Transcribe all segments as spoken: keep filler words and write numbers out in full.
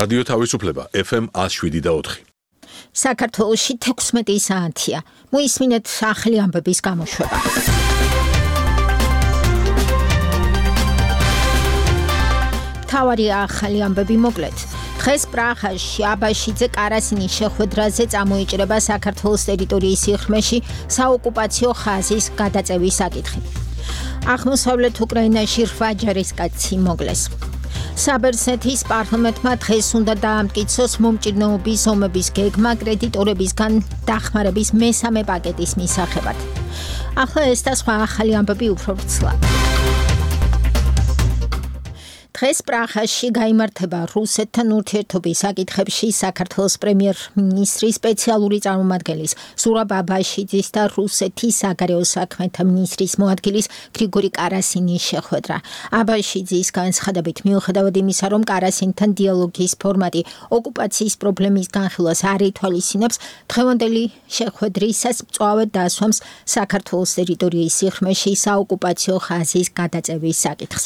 რადიო თავისუფლება F M one oh seven და four. საქართველოში თექვსმეტი საათია. მოისმინეთ ახალი ამბების გამოშვება. თავარი ახალი ამბები მოკლედ. დღეს პრაღაში აბაშიძე კარასინის შეხვედრაზე წამოიჭრება საქართველოს ტერიტორიის სიღრმეში საოკუპაციო ხაზის გადაწევის საკითხი. აღმოსავლეთ უკრაინაში რვა ჯარისკაცი მოგლეს. საბერძნეთის პარლამენტმა დღეს უნდა დაამტკიცოს მომჭირნეობის ომების გეგმა კრედიტორებისგან დახმარების მესამე პაკეტის მისაღებად. ახლა ეს და სხვა ახალი ამბები უფრო ვრცლად. დღეს პრაღაში გაიმართება რუსეთთან ურთიერთობის საკითხებში საქართველოს პრემიერ-მინისტრის სპეციალური წარმომადგენლის ზურაბ აბაშიძის და რუსეთის საგარეო საქმეთა მინისტრის მოადგილის გრიგორი კარასინის შეხვედრა. აბაშიძის განცხადებით მიუხედავად იმისა, რომ კარასინთან დიალოგის ფორმატი ოკუპაციის პრობლემის განხილვას არ ითვალისწინებს, დღევანდელი შეხვედრისას მწვავედ დასვამს საქართველოს ტერიტორიის სიღრმეში საოკუპაციო ხაზის გადაწევის საკითხს.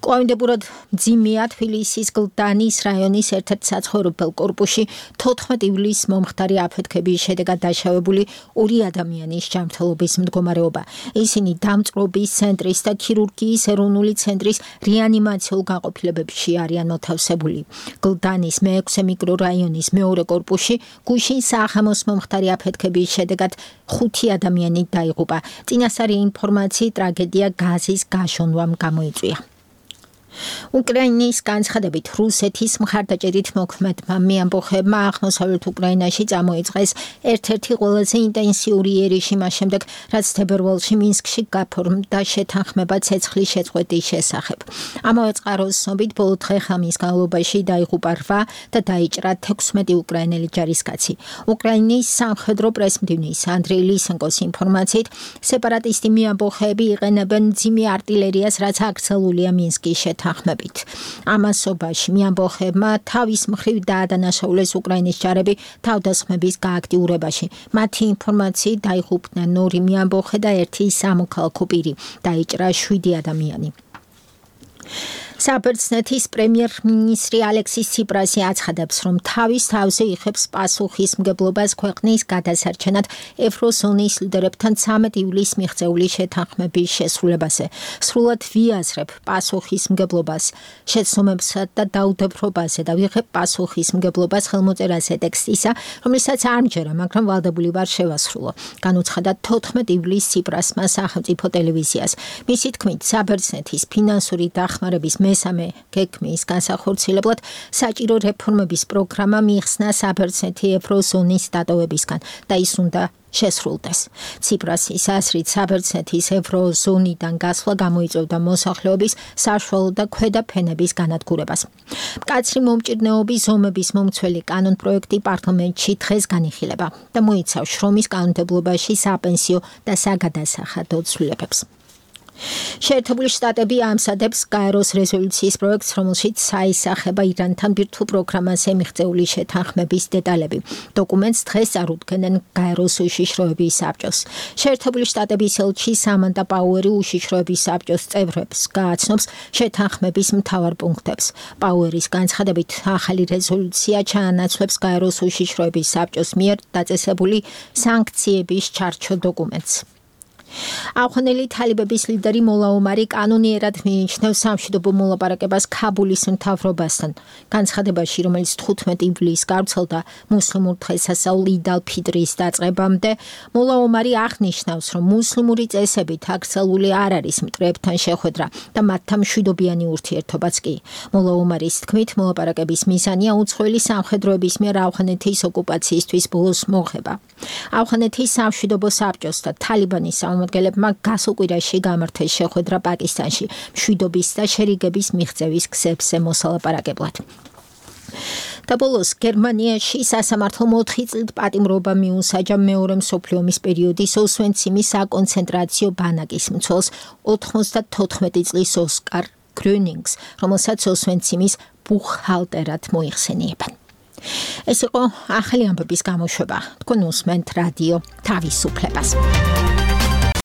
კვლავინდებურად მძიმეა თბილისის გლდანის რაიონის ერთ-ერთ საცხოვრებელ კორპუსში თოთხმეტი ივლისს მომხდარი აფეთქების შედეგად დაშავებული ორი ადამიანის ჯანმრთელობის მდგომარეობა. ისინი დამწყრობის ცენტრის და ქირურგიის ეროვნული ცენტრის რეანიმაციულ განყოფილებებში არიან მოთავსებული. გლდანის მეექვსე მიკრორაიონის მეორე კორპუსში გუშინ საღამოს მომხდარი აფეთქების შედეგად ხუთი ადამიანი დაიღუპა. წინასწარი ინფორმაციით ტრაგედია გაზის გაშონვამ გამოიწვია. უკრაინის განცხადებით რუსეთის მხარდაჭერით მოქმედმა მეამბოხებმა აღმოსავლეთ უკრაინაში წამოიწყეს ერთ-ერთი ყველაზე ინტენსიური ერიში მას შემდეგ, რაც თებერვალში მინსკში გაფორმდა შეთანხმება ცეცხლის შეწყვეტის შესახებ. ამავე წყაროს ცნობით ბოლო დღე-ღამის განმავლობაში დაიღუპა რვა და დაიჭრა თექვსმეტი უკრაინელი ჯარისკაცი. უკრაინის სამხედრო პრესმდივნის ანდრეი ლისენკოს ინფორმაციით, სეპარატისტი მეამბოხეები იყენებენ მძიმე არტილერიას, რაც აკრძალულია მინსკის თანხმებით. ამასობაში მეამბოხებმა თავის მხრივ დაადანაშაულეს უკრაინის ჯარები თავდასხმების გააქტიურებაში. მათი ინფორმაციით დაიღუპნენ ორი მეამბოხე და ერთი სამოქალაქო პირი. დაიჭრა შვიდი ადამიანი. საბერძნეთის პრემიერ-მინისტრი ალექსის ციპრასი აცხადებს, რომ თავის თავზე იღებს პასუხისმგებლობას ქვეყნის გადასარჩენად ევროზონის ლიდერებთან ცამეტი ივლისს მიღწეული შეთანხმების შესრულებაზე. სრულად ვიაზრებ პასუხისმგებლობას, შეცდომებსა და დაუდევრობაზე და ვიღებ პასუხისმგებლობას ხელმოწერაზე ტექსტისა, რომელსაც არ მჯერა, მაგრამ ვალდებული ვარ შევასრულო. განუცხადა თოთხმეტი ივლისს ციპრასმა სახელმწიფო ტელევიზიას. მისი თქმით, საბერძნეთის ფინანსური დახმარების მესამე გეგმის განსახორციელებლად საჭირო რეფორმების პროგრამა მიიხსნა საბერძნეთი ევროზონის დატოვებისგან და ის უნდა შესრულდეს. ციპრასის აზრით საბერძნეთის ევროზონიდან გასვლა გამოიწვევდა მოსახლეობის საშუალო და ქვედა ფენების განადგურებას. მკაცრი მომჭირნეობის ომების მომცველი კანონპროექტი პარლამენტში დღეს განიხილება და მოიცავს შრომის კანონმდებლობაში საპენსიო და საგადასახადო ცვლილებებს. შეერთებული შტატები ამსადებს გაეროს რეზოლუციის პროექტს, რომელშიც საისახება ირანთან ბირთვულ პროგრამაზე მიღწეული შეთანხმების დეტალები. დოკუმენტს დღეს წარუდგენენ გაეროს უშიშროების საბჭოს. შეერთებული შტატების ელჩი სამანდა პაუერი უშიშროების საბჭოს წევრებს გააცნობს შეთანხმების მთავარ პუნქტებს. პაუერის განცხადებით, ახალი რეზოლუცია ჩაანაცვლებს გაეროს უშიშროების საბჭოს მიერ დაწესებული სანქციების ჩარჩო დოკუმენტს. ავღანელი თალიბების ლიდერი მოლა ომარი კანონიერად მიიჩნევს სამშვიდობო მოლაპარაკებას ქაბულის მთავრობასთან. განცხადებაში, რომელიც თხუთმეტი ივლისს გავრცელდა მუსლიმურ დღესასწაულ იდ ალ-ფიტრის დაწყებამდე, მოლა ომარი აღნიშნავს, რომ მუსლიმური წესებით აკრძალული არ არის მტრებთან შეხვედრა და მათთან მშვიდობიანი ურთიერთობაც კი. მოლა ომარის თქმით, მოლაპარაკების მიზანია უცხოელი სამხედროების მიერ ავღანეთის ოკუპაციისთვის ბოლოს მოღება. ავღანეთის სამშვიდობო საბჭოს და თალიბანის წარმომადგენლებმა გასულ კვირაში გამართეს შეხვედრა პაკისტანში მშვიდობის და შერიგების მიღწევის გზებზე მოსალაპარაკებლად. და ბოლოს გერმანიაში სასამართლომ ოთხი წლით პატიმრობა მიუსაჯა მეორე მსოფლიო ომის პერიოდის ოსვენციმის საკონცენტრაციო ბანაკის მცველს ოთხმოცდათოთხმეტი წლის ოსკარ გრონინგს, რომელსაც ოსვენციმის ბუხჰალტერად მოიხსენიებენ. ეს იყო ახალი ამბების გამოშვება. თქვენ უსმენთ რადიო თავისუფლებას.